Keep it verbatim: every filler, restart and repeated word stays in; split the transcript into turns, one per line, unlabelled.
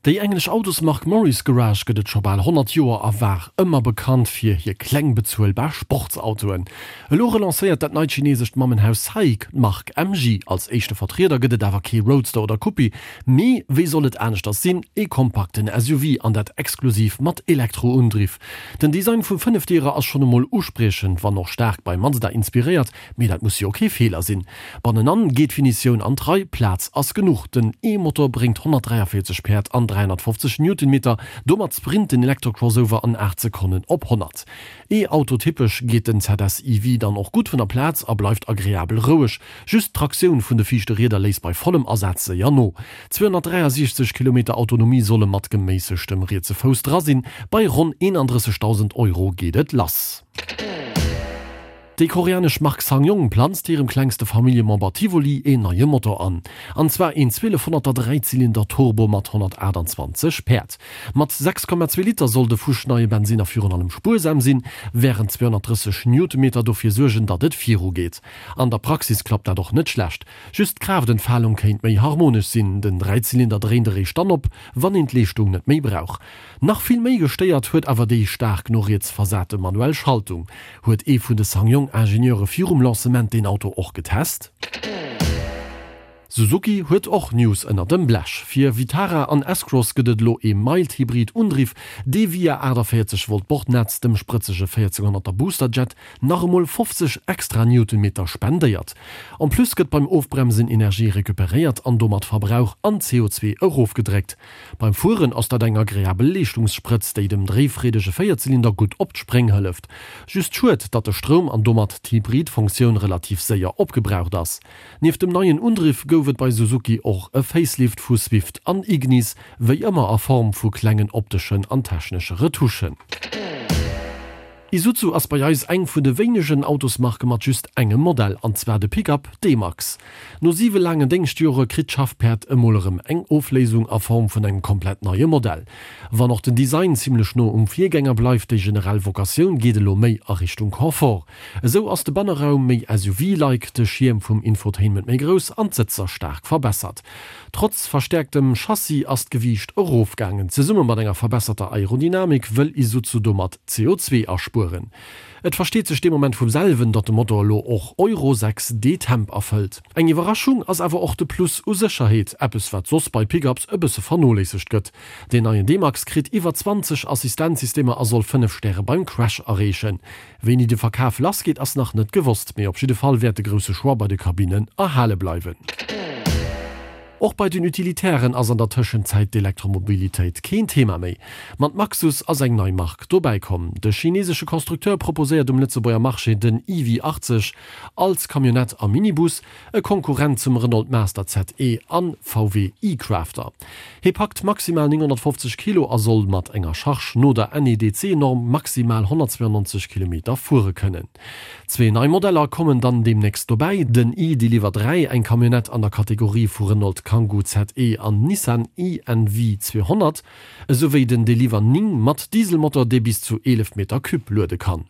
Déi englesch Autosmark Morris Garage gëtt et scho bal honnert Joer a war ëmmer bekannt fir hir kleng bezuelbar Sportsautoen. Elo relancéiert dat neit chinesescht Mammenhaus SAIC d'Mark M G. Als éischte Vertrieder gëtt et awer kee Roadster oder Coupé, mee, wéi soll et aneschters sinn, ee kompakten S U V, an dat exklusiv mat Elektroundriff. Den Design vum Fënnefdierer ass schonn emol uspriechend, wann och staark bei Mazda inspiréiert, mee dat muss jo kee Feeler sinn. Bannenan geet d'Finitioun an d'Rei, Plaz ass genuch. Den E-Motor bréngt honnertdräiavéierzeg Päerd an dräihonnertfofzeg Newtonmeter, domat sprint den Elektro-Crossover an aacht Sekonnen op honnert. E-Auto-typesch geet den Z S E V dann och gutt vun der Plaz a bleift agreabel roueg, just d'Traktioun vun de viischte Rieder léisst bei vollem Asaz séier no. Zweehonnertdräiasiechzeg Kilometer Autonomie solle mat geméissegtem rietse Fouss dra sinn, bei ronn eenandrëssegdausend Euro geet et lass. Déi koreanesch Mark SsangYong planzt hirem klengste Familljemember Tivoli een neie Motor an. An zwar een zwielefhonnerter Dräizylinder Turbo mat honnertaachtanzwanzeg Päerd. Mat sechs Komma zwee Liter soll de fuschneie Bensinner virun allem spuersam sinn, wärend zweehonnertdrësseg Newtonmeter dofir suergen, datt et viru geet. An der Praxis klappt dat och net schlecht. Just d'Kraaftentfalung kéint méi harmonesch sinn, den Dräizylinder dréint eréischt dann op, wann een d'Leeschtung net méi brauch. Nach vill méi gestéiert huet awer déi staark no riets versate manuell Schaltung. Huet ee vun de SsangYong-Ingenieure virum Lancement deen Auto och getest? Suzuki huet och News ënner dem Blech. Fir Vitara an S-Cross gëtt et elo ee Mild-Hybrid Undriff, dee via aachtavéierzeg Volt Bordnetz dem sprëtzege véierzénghonnerter Boosterjet nach emol fofzeg extra Newtonmeter spendéiert. En plus gëtt beim Ofbremsen Energie recuperéiert an domat Verbrauch an C O zwee erofgedréckt. Beim Fueren ass dat eng agreabel Leeschtungssprëtz, déi dem dréifreedege Véierzylinder gutt op d'Spréng hëlleft. Just schued, datt de Stroum an domat d'Hybrid-Funktioun relativ séier opgebraucht ass. Nieft dem neien Undriff gouf et bei Suzuki och e Facelift vu Swift an Ignis, wéi ëmmer a Form vu klengen opteschen an technesche Retouchen. Isuzu ass bei eis eng vun de wéinegen Autosmarke mat just engem Modell, an zwar de Pick-up D-Max. No siwe laangen Déngschtjore kritt d'Schaffpäerd emol erëm eng Ofléisung a Form vun engem komplett neie Modell. Wann och den Design zimmlech no um Virgänger bleift, déi generell Vocatioun geet elo méi a Richtung Confort. Esou ass de Banneraum méi S U V-like, de Schierm vum Infotainment méi grouss an d'Sëtzer staark verbessert. Trotz verstäerktem Chassis ass d'Gewiicht erofgaangen. Zesumme mat enger verbesserter Aerodynamik wëll Isuzu domat C O zwee aspueren. Et versteet sech dee Moment vum selwen, datt de Motor elo och Euro sechs D-Temp erfëllt. Eng Iwwerraschung ass awer och de Plus u Sécherheet, eppes wat soss bei Pickups e bësse vernoléissegt gëtt. Deen neien D-Max kritt iwwer zwanzeg Assistenzsystemer a soll fënnef Stäre beim Crash erreechen. Wéini de Verkaf lassgeet ass nach net gewosst, mee op jidde Fall wäert de grousse Choix bei de Kabinnen erhale bleiwen. Och bei den Utilitären ass an der Tëschenzäit d'Elektromobilitéit keen Thema méi. Mat Maxus ass eng nei Mark dobäi komm. De chinesesche Constructeur proposéiert um Lëtzebuerger Marché den E V achtzeg als Camionnette a Minibus, e Konkurrent zum Renault Master Z E an V W e-Crafter. Hie packt maximal nénghonnertfofzeg Kilo a soll mat enger Charge no der N E D C-Norm maximal honnertzweianneunzeg Kilometer fuere kënnen. Zwee nei Modeller kommen dann deemnächst dobäi, den e-Deliver dräi, eng Camionnette an der Kategorie vu Renault Kangoo Z E an Nissan i N V zweehonnert, esouwéi den Deliver néng mat Dieselmotor, dee bis zu eelef Meter Cube luede kann.